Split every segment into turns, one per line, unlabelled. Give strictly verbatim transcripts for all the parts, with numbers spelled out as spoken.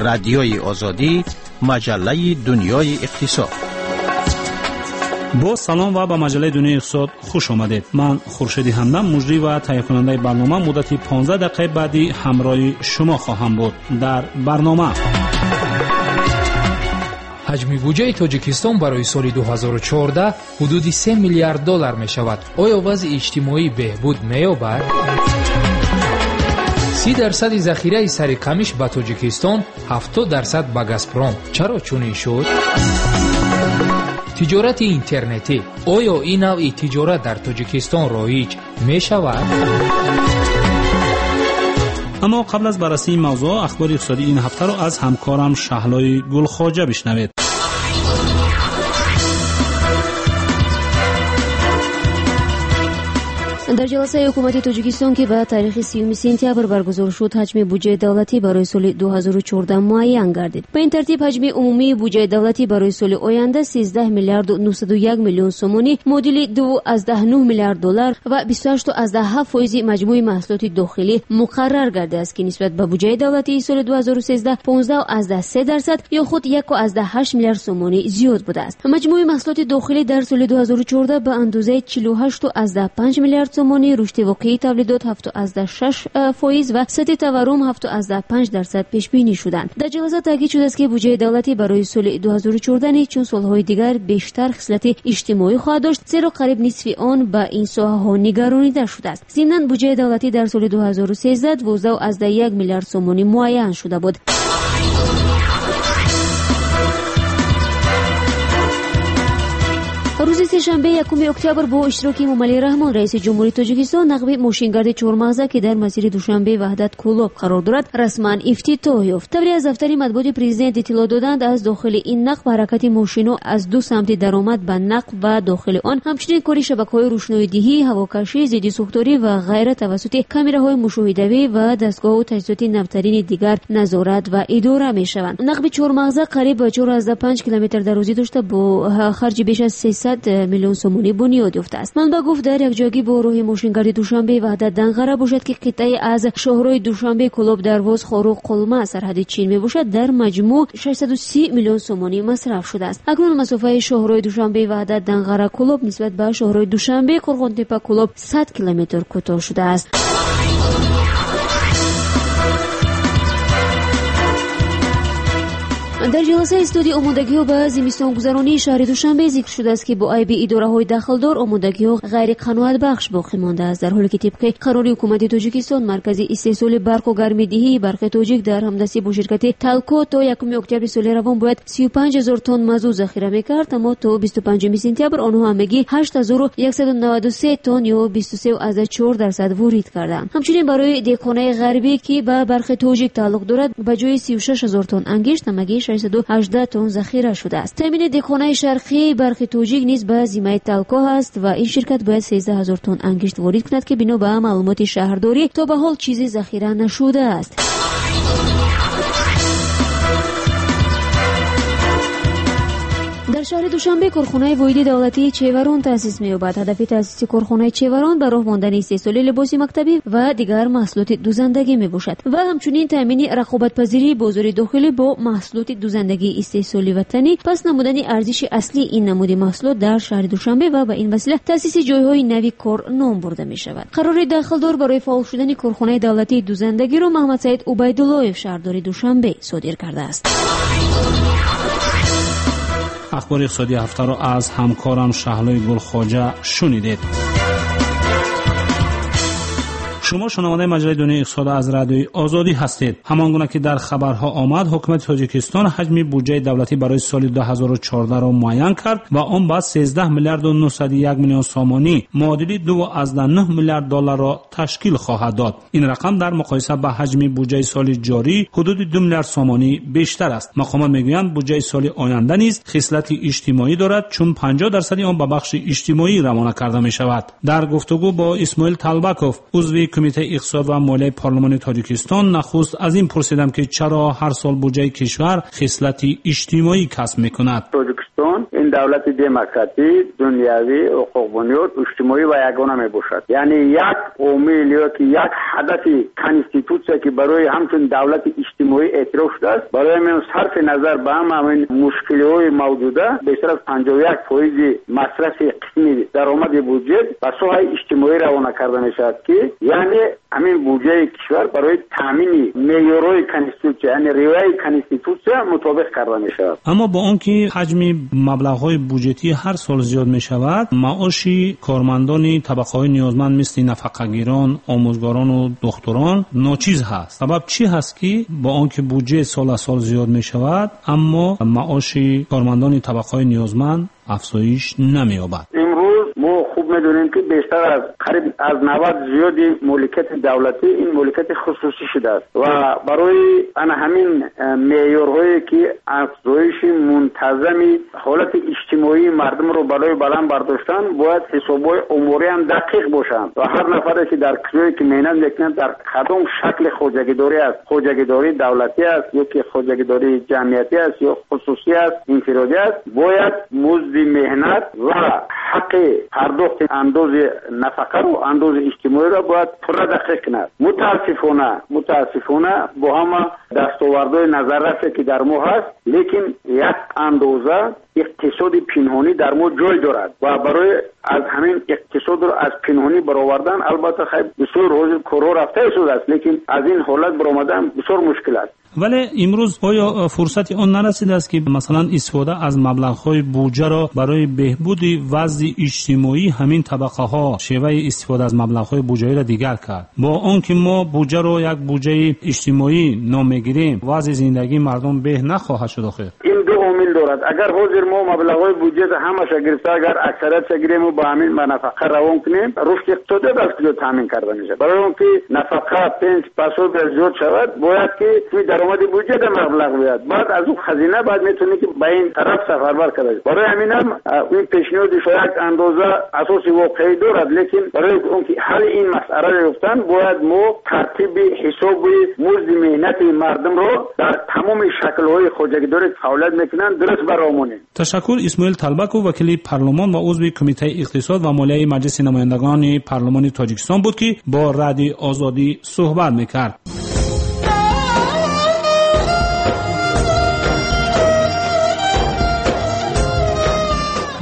Радиои Озодӣ, маҷаллаи дунёи иқтисод.
Бо салом ва ба маҷаллаи дунёи иқтисод хуш омадед. Ман Хуршеди Ҳамдам, муҷрӣ ва таҳиякунандаи барнома, муддати понздаҳ дақиқаи баъдӣ ҳамроҳи шумо хоҳам буд. Дар барнома
ҳаҷми буҷаи Тоҷикистон барои соли ду ҳазору чордаҳ ҳудуди се миллиард доллар мешавад. Оё вазъи иҷтимоӣ беҳбуд меёбад? Си дарсади захираи сари камиш ба Тоҷикистон, ҳафтод дарсад ба Газпром. Чаро чунин шуд? Тиҷорати интернетӣ. Оё ин навъи тиҷорат дар Тоҷикистон роиҷ мешавад?
Аммо қабл аз баррасии мавзӯъ, ахбори иқтисодии ин ҳафтаро аз ҳамкорам Шаҳлои Гулхоҷа бишнавед.
Дар ҷаласаи ҳукумати Тоҷикистон, ки ба таърихи сиюми сентябр баргузор шуд, ҳаҷми буҷаи давлатӣ барои соли ду ҳазору чордаҳ муайян гардид. Ба ин тартиб ҳаҷми умумии буҷаи давлатӣ барои соли оянда сездаҳ миллиарду нуҳсаду як миллион сомонӣ, муодили ду аз даҳ нуҳ миллиард доллар ва бисту ҳашту аз даҳ ҳафт фоизи маҷмӯи маҳсулоти дохилӣ муқаррар гардидааст, ки нисбат ба буҷаи давлатии соли ду ҳазору сездаҳ понздаҳ аз даҳ се дарсад ё худ яку аз даҳ ҳашт миллиард сомонӣ зиёд будааст. Маҷмӯи маҳсулоти дохилӣ дар соли ду ҳазору чордаҳ ба андозаи чилу ҳашту аз даҳ панҷ миллиард сомонӣ, рушди воқеии тавлидот ҳафту аз даҳ шаш фоиз ва сатҳи таваррум ҳафту аз даҳ панҷ дарсад пешбинӣ шуданд. Дар ҷаласа таъкид шудааст, ки буҷаи давлатӣ барои соли ду ҳазору чордаҳ низ чун солҳои дигар бештар хислати иҷтимоӣ хоҳад дошт, зеро қариб нисфи он ба ин соҳаҳо нигаронида шудааст. Зимнан буҷаи давлатӣ дар соли ду ҳазору сездаҳ дувоздаҳ аз даҳ як миллиард сомонӣ муайян шуда буд. Рӯзи сешанбе якуми октябр бо иштироки Эмомалӣ Раҳмон, раиси ҷумҳурии Тоҷикистон, нақби мошингарди чормағза, ки дар масири Душанбе Ваҳдат Кӯлоб қарор дорад, расман ифтитоҳ ёфт. Тавре аз дафтари матбуоти президент иттилоъ доданд, аз дохили ин нақб ҳаракати мошинҳо аз ду самти даромад ба нақб ва дохили он, ҳамчунин кори шабакаҳои рӯшноидиҳӣ, ҳавокашӣ, зидди сӯхторӣ ва ғайра тавассути камераҳои мушоҳидавӣ ва дастгоҳу таҷҳизоти навтарини дигар назорат ва идора мешаванд. Нақби чормағза қариб чор аз панҷ километр дарозӣ дошта, бо харҷи беш аз сесад миллион сомонӣ бунёд ёфтааст. Манбаъ гуфт, дар якҷоягӣ бо роҳи мошингарди Душанбе Ваҳдат Данғара бошад, ки қитъае аз шоҳрои Душанбе Кӯлоб Дарвоз Хоруғ Қулма сарҳади Чин мебошад, дар маҷмӯъ шашсаду си миллион сомонӣ масраф шудааст. Акнун масофаи шоҳрои Душанбе Ваҳдат Данғара Кӯлоб нисбат ба шоҳрои Душанбе Қурғонтеппа Кӯлоб сад километр кӯтоҳ шудааст. Дар ҷаласаи студии омодагиҳо ба зимистонгузаронии шаҳри Душанбе зикр шудааст, ки бо айби идораҳои дахлдор омодагиҳо ғайриқаноатбахш боқӣ мондааст, дар ҳоле ки тибқи қарори ҳукумати Тоҷикистон маркази истеҳсоли барқу гармидиҳии Барқи Тоҷик дар ҳамдастӣ бо ширкати Талко то якуми октябри соли равон бояд сию панҷ ҳазор тонн мазут захира мекард, аммо то бисту панҷуми сентябр онҳо ҳамагӣ ҳашт ҳазору яксаду наваду се тонн ё бисту се аз чор дарсад ворид карданд. Ҳамчунин барои деҳхонаи ғарбӣ, ки ба Барқи Тоҷик тааллуқ дорад, ба ҷои сию шаш ҳазор тонн ангишт ҳамагӣ шашсаду ҳаждаҳ тонн захира шудааст. Таъмини деҳхонаи шарқии Барқи Тоҷик низ ба зиммаи Талко ҳаст ва ин ширкат бояд сездаҳ ҳазор тонн ангишт ворид кунад, ки бино ба маълумоти шаҳрдорӣ то ба ҳол чизе захира нашудааст. Дар шаҳри Душанбе корхонаи воҳиди давлатии Чеварон таъсис меёбад. Ҳадафи таъсиси корхонаи Чеварон ба роҳ мондани истеҳсоли либоси мактабӣ ва дигар маҳсулоти дузандагӣ мебошад ва ҳамчунин таъмини рақобатпазирии бозори дохилӣ бо маҳсулоти дузандагии истеҳсоли ватанӣ, пас намудани арзиши аслии ин намуди маҳсулот дар шаҳри Душанбе ва ба ин васила таъсиси ҷойҳои нави кор ном бурда мешавад. Қарори дахлдор барои фаъол шудани корхонаи давлатии дузандагиро Маҳмадсаид Убайдуллоев, шаҳрдори Душанбе, содир кардааст.
Ахбори иқтисодии ҳафтаро аз ҳамкорам Шаҳлои Гулхоҷа шунидед. Шумо шунавандаи маҷаллаи дунёи иқтисод аз Радиои Озодӣ ҳастед. Ҳамон гуна ки дар хабарҳо омад, ҳукумати Тоҷикистон ҳаҷми буҷаи давлатӣ барои соли ду ҳазору чордаҳро муайян кард ва он ба сездаҳ миллиарду нуҳсаду як миллион сомонӣ, муодили ду аз даҳ нуҳ миллиард долларро ташкил хоҳад дод. Ин рақам дар муқоиса ба ҳаҷми буҷаи соли ҷорӣ ҳудуди ду миллиард сомонӣ бештар аст. Мақомот мегӯянд, буҷаи соли оянда низ хислати иҷтимоӣ дорад, чун панҷоҳ дарсади он ба бахши иҷтимоӣ равона карда мешавад. Дар гуфтугӯ бо Исмоил Талбаков, узви Кумитаи иқтисод ва молияи парлумони Тоҷикистон, нахуст аз ин пурсидам, ки чаро ҳар сол буҷаи кишвар хислати иҷтимоӣ касб мекунад.
Тоҷикистон Ин давлати демократӣ, дунявӣ, ҳуқуқбунёд, иҷтимоӣ ва ягона мебошад. Яъне як омил ё ки як ҳадафи конститутсия ки барои ҳамчун давлати иҷтимоӣ эътироф шудааст, барои ҳамин сарфи назар ба ҳама ҳамин мушкилиҳои мавҷуда бештар аз панҷоҳу як фоизи масрафи қисми даромади буҷет ба соҳаи иҷтимоӣ равона карда мешавад, ки яъне ҳамин буҷаи кишвар барои таъмини меъёрҳои конститутсия, яъне риояи конститутсия мутобиқ карда мешавад.
Аммо бо он ки ҳаҷми маблағҳои буҷетӣ ҳар сол зиёд мешавад, маоши кормандони табақаҳои ниёзманд мисли нафақагирон, омӯзгорон ва духтурон ночиз ҳаст. Сабаб чӣ ҳаст ки бо он ки буҷет сол аз сол зиёд мешавад, аммо маоши кормандони табақаҳои ниёзманд афзоиш намеёбад?
Имрӯз мо хуб медонем ки бештар аз қариб аз навад зиёди моликияти давлатӣ ин моликияти хусусӣ шудааст ва барои ана ҳамин меъёрҳое ки афзоиши мунтазами ҳолати иҷтимоии мардумро барои баланд бардоштан бояд ҳисобҳои оморӣ ҳам дақиқ бошанд ва ҳар нафаре ки дар кишваре ки меҳнат мекунад дар кадом шакли хоҷагидорӣ аст, хоҷагидории давлатӣ аст ё ки хоҷагидории ҷамъиятӣ аст ё хусусӣ аст, инфиродӣ аст, бояд музди меҳнат ва ҳаққи пардохти андози нафақаро, андози иҷтимоиро бояд пурра дақиқ кунад. Мутаассифона, мутаассифона бо ҳама дастовардҳои назаррасе ки дар мо ҳаст, лекин як андоза иқтисоди пинҳонӣ дар мо ҷой дорад ва барои аз ҳамин иқтисодро аз пинҳонӣ баровардан албатта хайр бисёр ҳозир корҳо рафта истодааст, лекин аз ин ҳолат баромадан бисёр мушкил аст.
Вале имрӯз оё фурсати он нарасидааст ки масалан истифода аз маблағҳои буҷаро барои беҳбуди вазъи иҷтимоии ҳамин табақаҳо шеваи истифода аз маблағҳои буҷавиро дигар кард? Бо он ки мо буҷаро як буҷаи иҷтимоӣ ном мегирем, вазъи зиндагии мардум беҳ нахоҳад шуд охир.
Ин ду омил дорад. Агар ҳозир мо маблағҳои буҷетро ҳамаша гирифта, агар аксариятша гирем ва ба ҳамин ба нафақа равон кунем, рушди иқтисодият аз куҷо таъмин карда мешавад? Барои он ки нафақа пенс пасоби зиёд шавад, бояд ки туи даромади буҷет маблағ биёяд, баъд аз он хазина баъд метавонӣ ки ба ин тараф сафарбар карда. Барои ҳамин ҳам ин пешниҳоди шояд як андоза асоси воқеӣ дорад, лекин барои он ки ҳалли ин масъаларо ёфтан бояд мо тартиби ҳисоби музди меҳнати мардумро дар тамоми шаклҳои хоҷагидорӣ фаъолият мекунанд дуруст баромонем.
Ташаккур. Исмоил Талбаков, вакили парлумон ва узви Кумитаи иқтисод ва молияи Маҷлиси намояндагони парлумони Тоҷикистон буд ки бо Радиои Озодӣ суҳбат мекард.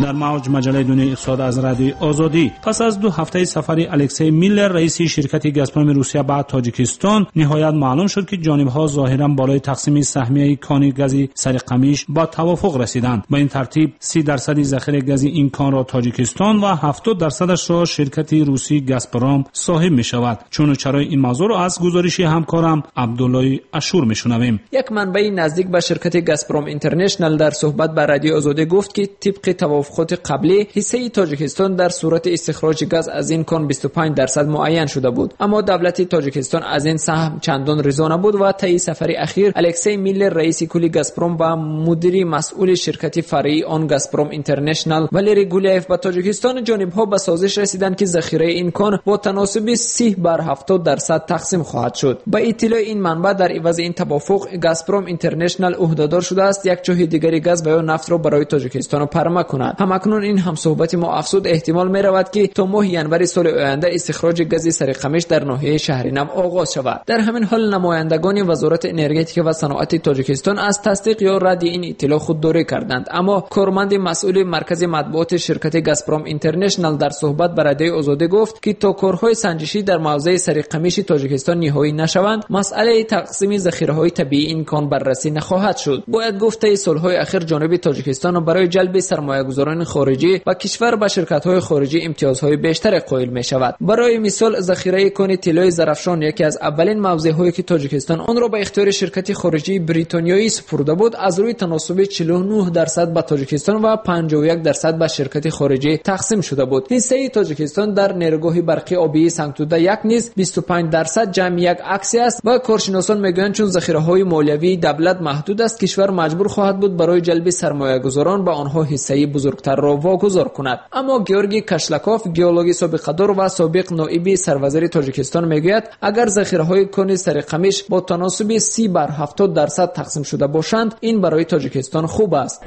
Дар мавҷ маҷаллаи дунёи иқтисод аз Радиои Озодӣ. Пас аз ду ҳафтаи сафари Алексей Миллер, раиси ширкати Газпроми Русия ба Тоҷикистон, ниҳоят маълум шуд ки ҷонибҳо зоҳиран болои тақсими саҳмияи кони гази Сариқамиш ба тавофуқ расиданд. Ба ин тартиб си дарсади захираи гази ин конро Тоҷикистон ва ҳафтод дарсадашро ширкати русии Газпром соҳиб мешавад. Чуну чарои ин мавзӯъро аз гузориши ҳамкорам Абдуллои Ашур мешунавем.
Як манбаи наздик ба ширкати Газпром Интернешнал дар суҳбат ба Радиои Озодӣ гуфт ки тибқи тавофуқоти қаблӣ ҳиссаи Тоҷикистон дар сурати истихроҷи газ аз ин кон бисту панҷ дарсад муайян шуда буд, аммо давлати Тоҷикистон аз ин саҳм чандон ризо набуд ва таи сафари ахир Алексей Миллер, раиси кулли Газпром ва мудири масъули ширкати фаръии он Газпром Интернешнал Валерий Гуляев ба Тоҷикистон ҷонибҳо ба созиш расиданд ки захираи ин кон бо таносуби си бар ҳафтод дарсад тақсим хоҳад шуд. Ба иттилои ин манбаъ дар ивази ин тавофуқ Газпром Интернешнал ӯҳдадор шудааст як чоҳи дигари газ ва ё нафтро барои Тоҷикистон парма кунад. Ҳамакнун ин ҳамсуҳбати мо афзуд эҳтимол меравад ки то моҳи январи соли оянда истихроҷи гази Сариқамиш дар ноҳияи Шаҳринав оғоз шавад. Дар ҳамин ҳол намояндагони Вазорати энергетика ва саноати Тоҷикистон аз тасдиқ ё радди ин иттилоъ худдорӣ карданд, аммо корманди масъули маркази матбуоти ширкати Газпром Интернешнал дар суҳбат ба Радиои Озодӣ гуфт ки то корҳои санҷишӣ дар мавзеи Сариқамиши Тоҷикистон ниҳоӣ нашаванд, масъалаи тақсими захираҳои табиии ин кон баррасӣ нахоҳад шуд. Бояд гуфт таи солҳои ахир ҷониби Тоҷикистон барои ҷалби сармоягузорони хориҷӣ ва кишвар ба ширкатҳои хориҷӣ имтиёзҳои бештаре қоил мешавад. Барои мисол захираи кони тиллои Зарафшон, яке аз аввалин мавзеъҳое ки Тоҷикистон онро ба ихтиёри ширкати хориҷии бритониёӣ супурда буд, аз рӯи таносуби чилу нӯҳ дарсад ба Тоҷикистон ва панҷоҳу як дарсад ба ширкати хориҷӣ тақсим шуда буд. Ҳиссаи Тоҷикистон дар нерӯгоҳи барқи обии Сангтуда як низ бисту панҷ дарсад ҷамъи як аксия аст ва коршиносон мегӯянд чун захираҳои молиявии давлат маҳдуд аст, кишвар маҷбур хоҳад буд барои ҷалби сармоягузорон ба онҳо ҳиссаи бузургтарро вогузор кунад. Аммо Георгий Кашлаков, геологи собиқадор ва собиқ ноиби сарвазири Тоҷикистон мегӯяд агар захираҳои кони Сариқамиш бо таносуби си бар ҳафтод дарсад тақсим шуда бошанд, ин барои Тоҷикистон хуб аст.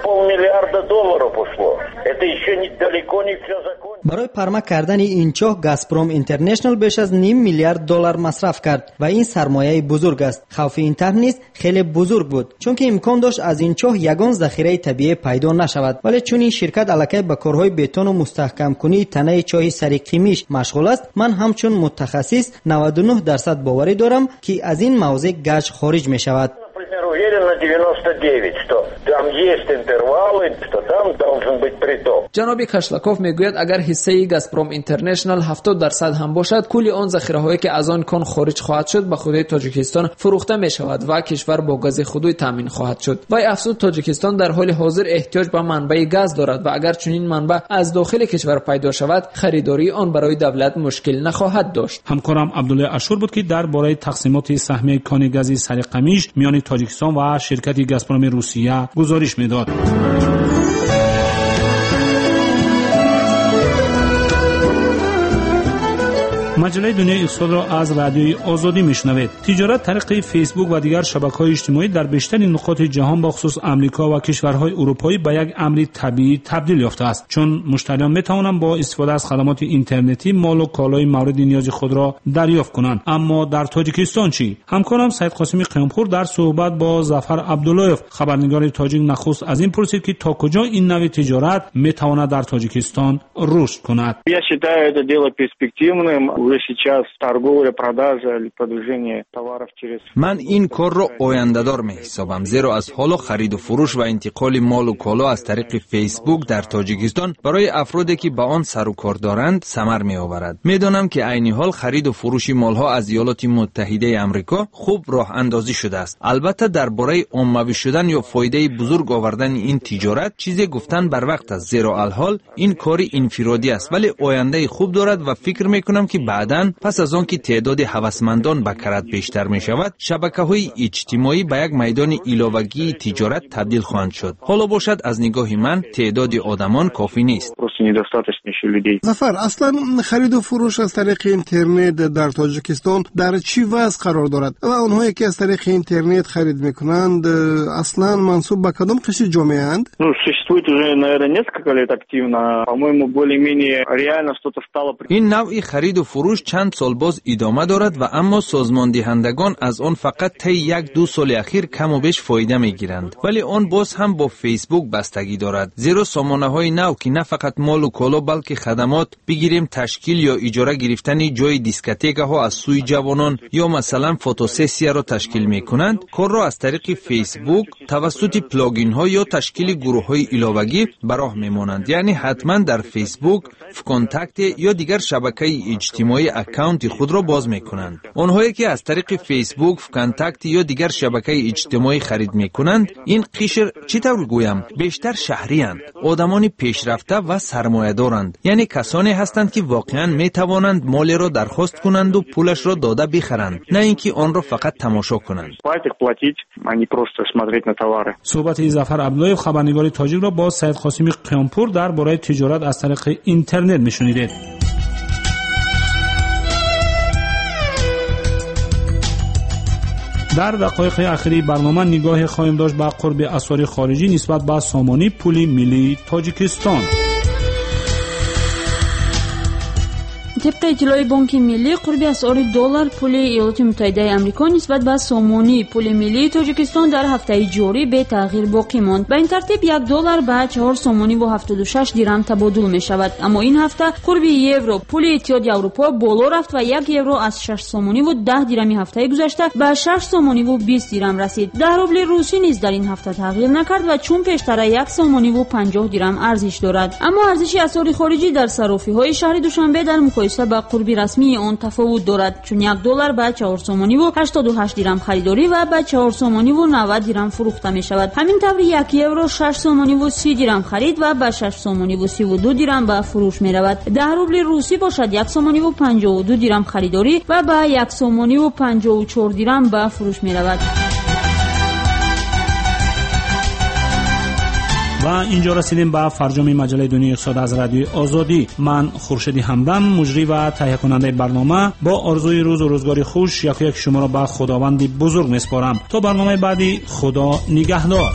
полмиллиарда долларов ушло. Это еще не, далеко не все закончилось.
Барои парма кардани ин чоҳ Газпром Интернешнл беш аз ним миллиард доллар масраф кард ва ин сармояи бузург аст. Хавфи ин тарҳ низ хеле бузург буд, чунки имкон дошт аз ин чоҳ ягон захираи табиӣ пайдо нашавад. Вале чун ин ширкат аллакай ба корҳои бетону мустаҳкамкунии танаи чоҳи сари Қимиш машғул аст, ман ҳамчун мутахассис наваду нӯҳ дарсад боварӣ дорам, ки аз ин мавзеъ гач хориҷ мешавад.
Уверен на девяносто девять, что там есть интервалы, что там должен быть приток.
Ҷаноби Кашлаков мегӯяд, агар ҳиссаи Газпром Интернешнл ҳафтод дарсад ҳам бошад, кулли он захираҳое ки аз он кон хориҷ хоҳад шуд ба худи Тоҷикистон фурӯхта мешавад ва кишвар бо гази худуй таъмин хоҳад шуд. Вай афзуд, Тоҷикистон дар ҳоли ҳозир эҳтиёҷ ба манбаи газ дорад ва агар чунин манбаъ аз дохили кишвар пайдо шавад, харидории он барои давлат мушкил нахоҳад дошт.
Ҳамкорам Абдуллои Ашур буд, ки дар бораи тақсимоти саҳмияи кони гази сари Қамиш миёни Тоҷикистон ва ширкати Газпроми Русия гузориш медод. Маҷаллаи дунёи иқтисодро аз радиои Озодӣ мешунавед. Тиҷорат тариқи Фейсбук ва дигар шабакаҳои иҷтимоӣ дар бештари нуқоти ҷаҳон, ба хусус Амрико ва кишварҳои урупоӣ, ба як амри табиӣ табдил ёфтааст, чун муштариён метавонанд бо истифода аз хадамоти интернетӣ молу колои мавриди ниёзи худро дарёфт кунанд. Аммо дар Тоҷикистон чӣ? Ҳамкорам Саид Қосими Қиёмпур дар суҳбат бо Зафар Абдуллоев, хабарнигори тоҷик, нахуст аз ин пурсид, ки то куҷо ин нави тиҷорат метавонад дар Тоҷикистон рушд кунад.
Я считаю это дело перспективным. Уже сейчас торговля, продажа или продвижение товаров через...
Ман ин корро ояндадор меҳисобам, зеро аз ҳоло хариду фурӯш ва интиқоли молу коло аз тариқи Фейсбук дар Тоҷикистон барои афроде ки ба он сару кор доранд самар меоварад. Медонам ки айни ҳол хариду фурӯши молҳо аз Иёлоти Муттаҳидаи Амрико хуб роҳандозӣ шудааст. Албатта дар бораи оммавӣ шудан ё фоидаи бузург овардани ин тиҷорат чизе гуфтан барвақт аст, зеро алҳол ин кори инфиродӣ аст, вале ояндаи хуб дорад ва фикр мекунам ки баъдан пас аз он ки теъдоди ҳавасмандон ба карат бештар мешавад, шабакаҳои иҷтимоӣ ба як майдони иловагии тиҷорат табдил хоҳанд шуд. Ҳоло бошад, аз нигоҳи ман теъдоди одамон кофӣ нест.
Зафар, аслан хариду фурӯш аз тариқи интернет дар Тоҷикистон дар чӣ вазъ қарор дорад ва онҳое ки аз тариқи интернет харид мекунанд аслан мансуб ба кадом қишри ҷомеаанд?
Ну, существует уже, наверное, несколько лет активно. По-моему, более-менее реально что-то стало.
Ин навъи хариду фурӯш чанд сол боз идома дорад ва аммо созмондиҳандагон аз он фақат таи як-ду соли ахир каму беш фоида мегиранд. Вале он боз ҳам бо Фейсбук бастагӣ дорад, зеро сомонаҳои нав ки на фақат молу коло, балки хадамот бигирем, ташкил ё иҷора гирифтани ҷои дискотекаҳо аз сӯи ҷавонон ё масалан фотосессияро ташкил мекунанд, корро аз тариқи Фейсбук тавассути плагинҳо ё ташкили гурӯҳҳои иловагӣ ба роҳ мемонанд. Яъне ҳатман дар Фейсбук, ВКонтакте ё дигар шабакаи иҷтимоӣ аккаунти худро боз мекунанд. Онҳое ки аз тариқи Фейсбук, ВКонтакте ё дигар шабакаи иҷтимоӣ харид мекунанд, ин қишр чӣ тавр гӯям, бештар шаҳриянд, одамони пешрафта ва сармоядоранд, яъне касоне ҳастанд ки воқеан метавонанд молеро дархост кунанду пулашро дода бихаранд, на ин ки онро фақат тамошо кунанд.
Суҳбати Зафар Абдуллоев, хабарнигори тоҷикро бо Саид Қосими Қиёмпур дар бораи тиҷорат аз тариқи интернет мешунидед. Дар дақоиқи ахири барнома нигоҳе хоҳем дошт ба қурби асъори хориҷӣ нисбат ба сомонӣ пули миллии Тоҷикистон.
Тибқи иттилои Бонки Миллӣ, қурби асъори доллар пули Иёлоти Муттаҳидаи Амрико нисбат ба сомонӣ пули миллии Тоҷикистон дар ҳафтаи ҷорӣ бетағйир боқӣ монд. Ба ин тартиб як доллар ба чаҳор сомониву ҳафтоду шаш дирам табодул мешавад. Аммо ин ҳафта қурби евро пули Иттиҳоди Аврупо боло рафт ва як евро аз шаш сомониву даҳ дирами ҳафтаи гузашта ба шаш сомониву бист дирам расид. Даҳ рубли русӣ низ дар ин ҳафта тағйир накард ва чун пештара як сомониву панҷоҳ дирам арзиш дорад. Аммо арзиши асъори хориҷӣ дар саррофиҳои шаҳри Душанбе дар муқоиса ба қурби расмии он тафовут дорад, чун як доллар ба чаҳор сомониву ҳаштоду ҳашт дирам харидорӣ ва ба чаҳор сомониву навад дирам фурӯхта мешавад. Ҳамин тавр як евро шаш сомониву си дирам харид ва ба шаш сомониву сиву ду дирам ба фурӯш меравад. Даҳ рубли русӣ бошад як сомониву панҷоҳу ду дирам харидорӣ ва ба як сомониву панҷоҳу чор дирам ба фурӯш меравад.
Ва инҷо расидем ба фарҷоми маҷаллаи дунёи иқтисод аз радиои Озодӣ. Ман Хуршеди Ҳамдам, муҷрӣ ва таҳиякунандаи барнома, бо орзуи рӯзу рӯзгори хуш яку як шуморо ба Худованди бузург месупорам. То барномаи баъдӣ, Худо нигаҳдор.